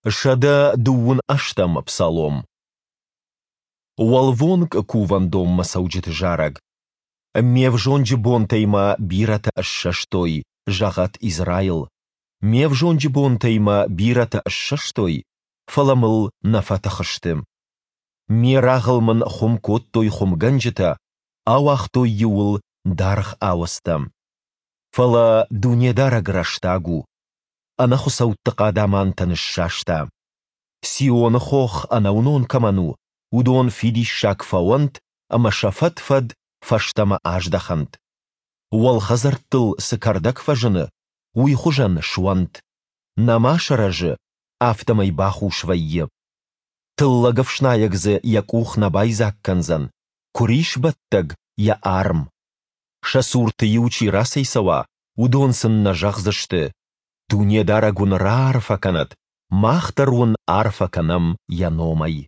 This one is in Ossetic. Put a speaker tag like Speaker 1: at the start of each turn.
Speaker 1: 128-ӕм псалом. Уӕлвонг кувӕндонмӕ цӕуджыты зарӕг. Ме взонджы бонтӕй мӕ бирӕтӕ ссӕстой, зӕгъӕд Израил. Ме взонджы бонтӕй мӕ бирӕтӕ ссӕстой, фӕлӕ мыл нӕ фӕтых сты. Ме рагъыл мын хуым кодтой хуымгӕнджытӕ, ауагътой-иу ыл даргъ ауӕдзтӕ. Фӕлӕ Дунедарӕг рӕстаг у, ӕнӕхуыцӕутты хъадамантӕ ныссаста. Сионы хох ӕнӕуынон кӕмӕн у, уыдон фидиссаг фӕуӕнт ӕмӕ сӕ фӕд-фӕд фӕстӕмӕ аздӕхӕнт. Уӕлхӕдзӕрттыл цы кӕрдӕг фӕзыны, уый хуызӕн суӕнт. Нӕма сырӕзы, афтӕмӕй бахус вӕййы. Тыллӕгӕфснайӕг дзы йӕ къух нӕ байдзаг кӕндзӕн, куырисбӕттӕг йӕ арм. Сӕ цурты-иу чи рацӕйцӕуа, уыдон сын нӕ зӕгъдзысты: Дунедарӕг уын раарфӕ кӕнӕд, мах дӕр уын арфӕ кӕнӕм Йӕ номӕй.